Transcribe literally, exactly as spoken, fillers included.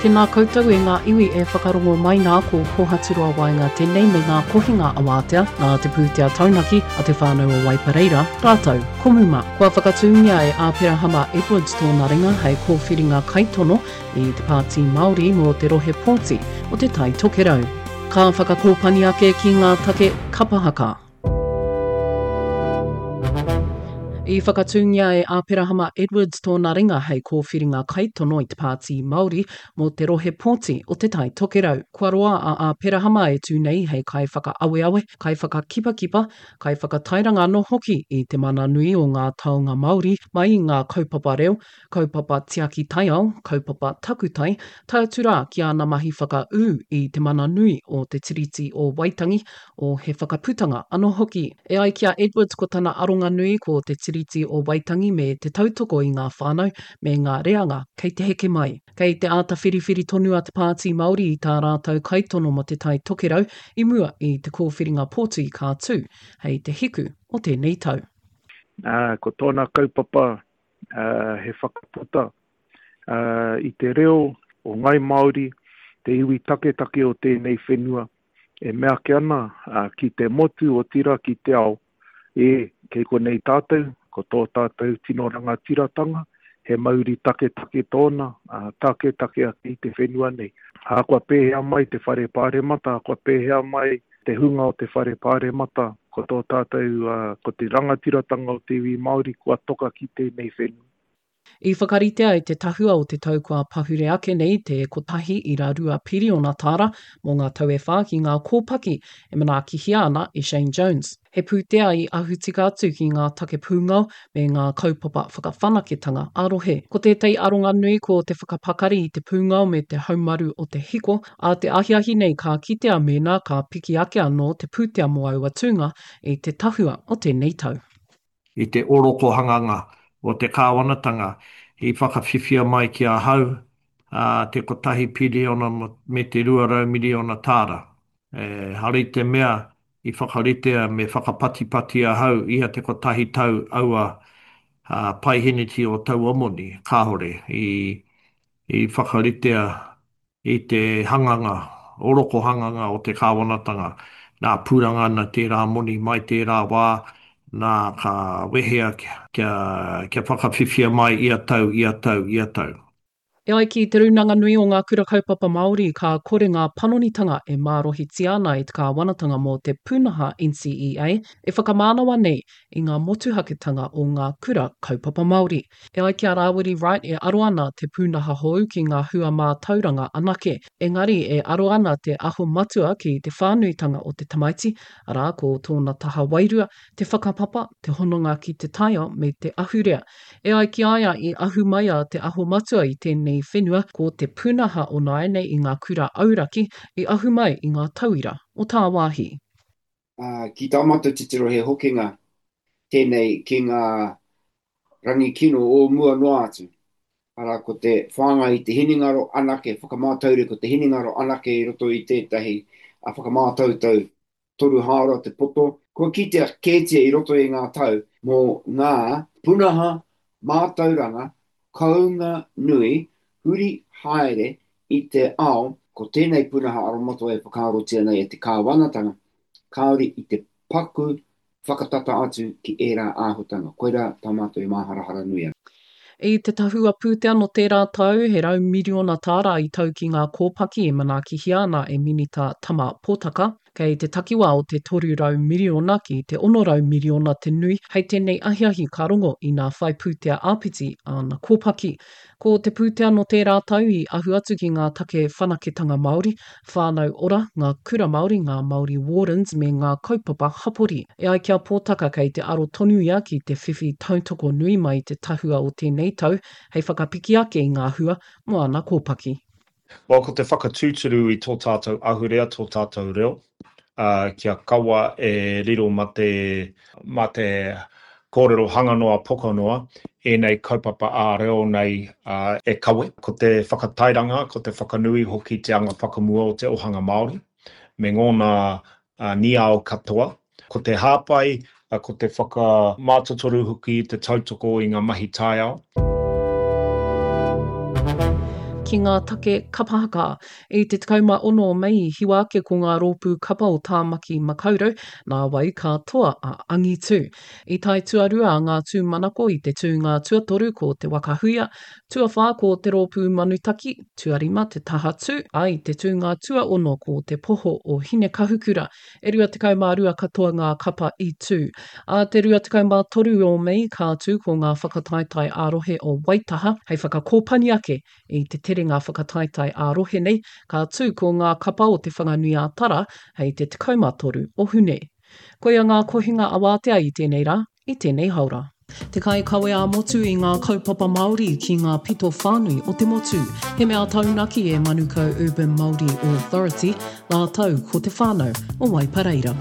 Tēnā koutou e ngā iwi e whakarongo mai nā ko Kohaturoa Waenga tēnei me ngā kohinga awātea nā te pūtea taunaki a te whānau o Waipareira, rātou ko Muma. Kua whakatūngia e Āperahama Edwards tōna ringa hei kōwhiringa kaitono i te Pāti Māori mō te rohe pōti o Te Tai Tokerau. Ka whakakōpani ake ki ngā take kapa haka. I whakatūngia e Āperahama Edwards tōna ringa hei kōwhiringa kaitono i te Pāti Māori mō te rohe pōti o Te Tai Tokerau. Kua roa a Āperahama e tū nei hei kaiwhakaaweawe, kaiwhakakipakipa, kaiwhakatairanga anō hoki i te mana nui o ngā taonga Māori mai i ngā kaupapa reo, kaupapa tiaki taiao, kaupapa takutai, tae atu rā ki āna mahi whakaū i te mana nui o Te Tiriti o Waitangi, o He Whakaputanga anō hoki. E ai ki a Edwards ko tana aronga nui ko Te Tiriti o Waitangi me te tautoko i ngā whānau me ngā reanga kei te heke mai. Kei te āta whiriwhiri tonu a Te Pāti Māori i tā rātou kaitono mō Te Tai Tokerau i mua i te kōwhiringa pōti ka tū hei te hiku o tēnei tau. Ā, ko tōna kaupapa he whakaputa i te reo o Ngāi Māori, te iwi taketake o tēnei whenua, e mea ake ana ki te motu, otirā ki te ao, e, kei konei tātou, ko tō tātou tino rangatiratanga, he mauri taketake tōna, taketake ake i te whenua nei. Ahakoa pēhea mai te whare pāremata, ahakoa pēhea mai te hunga o te whare pāremata, ko tō tātou, ko te rangatiratanga o te iwi Māori kua toka ki tēnei whenua. I whakaritea e te tahua o te tau kua pahure ake nei te kotahi ira rua piriona tāra mō ngā tau e whā ki ngā kōpaki e manaakihia ana e Shane Jones. He pūtea i ahu tika atu ki ngā take pūngao me ngā kaupapa whakawhanaketanga ā-rohe. Ko tētahi aronga nui ko te whakapakari i te pūngao me te haumaru o te hiko, ā te ahiahi nei ka kitea mēnā ka piki ake anō te pūtea mō aua tūnga i te tahua o tēnei tau. I te orokohanganga o te kāwanatanga i whakawhiwhia mai ki ahau te kotahi piriona me te rua rau miriona tāra. Ehara i te mea i whakaritea me whakapatipati ahau ia te kotahi tau aua paiheneti o taua moni, kāore i i whakaritea i te hanganga, orokohanganga o te kāwanatanga, nā, pūranga ana tērā moni mai tērā wā, nā, ka wehea kia, kia whakawhiwhia mai ia tau, ia tau, ia tau. E ai ki Te Rūnanga Nui o Ngā Kura Kaupapa Māori, ka kore ngā panonitanga e mārohitia ana e te kāwanatanga mō te pūnaha N C E A e whakamānawa nei i ngā motuhaketanga o ngā kura kaupapa Māori. E ai ki a Rāwiri Wright e aro ana te pūnaha hou ki ngā hua mātauranga anake, engari e aro ana te aho matua ki te whānuitanga o te tamaiti, arā ko tōna taha wairua, te whakapapa, te hononga ki te taiao me te ahurea. E ai ki a ia i ahu mai a Te Aho Matua i tēnei whenua, ko te pūnaha o nāianei i ngā kura auraki i ahu mai i ngā tauira o tāwāhi. Ā, ki tā mātou titiro he hokinga tēnei ki ngā rangi kino o mua noa atu. Arā, ko te whāngai i te hinengaro anake, whakamātaure ko te hinengaro anake i roto i tētahi whakamātautau toru hāora te poto. Kua kitea kētia i roto i ngā tau mō ngā punaha mātauranga kounga nui huri haere i te ao, ko tēnei punaha aromatawai e whakaarotia nei e te kāwanatanga, kāore i te paku whakatata atu ki ērā āhutanga. Koirā tā mātou e māharahara nui ana. I te tahua pūtea nō tērā tau, he rau miriona tāra i tau ki ngā kōpaki e manaakihia ana e Minita Tama Potaka. Kei te takiwā o te toru rau miriona ki te ono rau miriona te nui hei tēnei ahiahi ka rongo inā whai pūtea āpiti āna kōpaki. Ko te pūtea nō tērā tau i ahu atu ki ngā take whanaketanga Māori, whānau ora, ngā kura Māori, ngā Māori Wardens me ngā kaupapa hapori. E ai ki a Pōtaka kei te aro tonu ia ki te whiwhi tautoko nui mai i te tahua o tēnei tau hei whakapiki ake i ngā hua mō ana kōpaki. Well, ko te whakatūturu i tō tātou ahurea, tō tātou reo, ā, kia kaua e riro mā te, mā te kōrero hanga noa, poko noa, ēnei kaupapa ā-reo nei e kawe. Ko te whakatairanga, ko te whakanui hoki te anga whakamua o te ohanga Māori me ngōna niao katoa. Ko te hāpai, ko te whakamātotoru hoki, te tautoko i ngā mahi taiao. ki ngā take kapa haka. I te tekau mā ono o Mei i hiwa ake ko ngā rōpū kapa o Tāmaki Makaurau, nāwai ka toa a Angitu. I tae tuarua a Ngā Tūmanako i te tūnga tuatoru ko Te Waka Huia, tuawhā ko Te Rōpū Manutaki, tuarima Te Taha Tū, ā, i te tūnga tuaono ko Te Poho o Hinekahukura. E rua tekau mā rua katoa ngā kapa i tū. Ā te rua tekau mā toru o Mei ka tū ko ngā whakataetae ā-rohe o Waitaha hei whakakōpani ake i te terenga whakataetae ā-rohe nei, ka tū ko ngā kapa o Te Whanganui-ā-Tara hei te tekau mā toru o Hune. Koia ngā kohinga awātea i tēnei rā, i tēnei haora. Te kaikawe ā-motu i ngā kaupapa Māori ki ngā pito whānui o te motu. He mea taunaki e Manukau Urban Māori Authority rātou ko te whānau o Waipareira.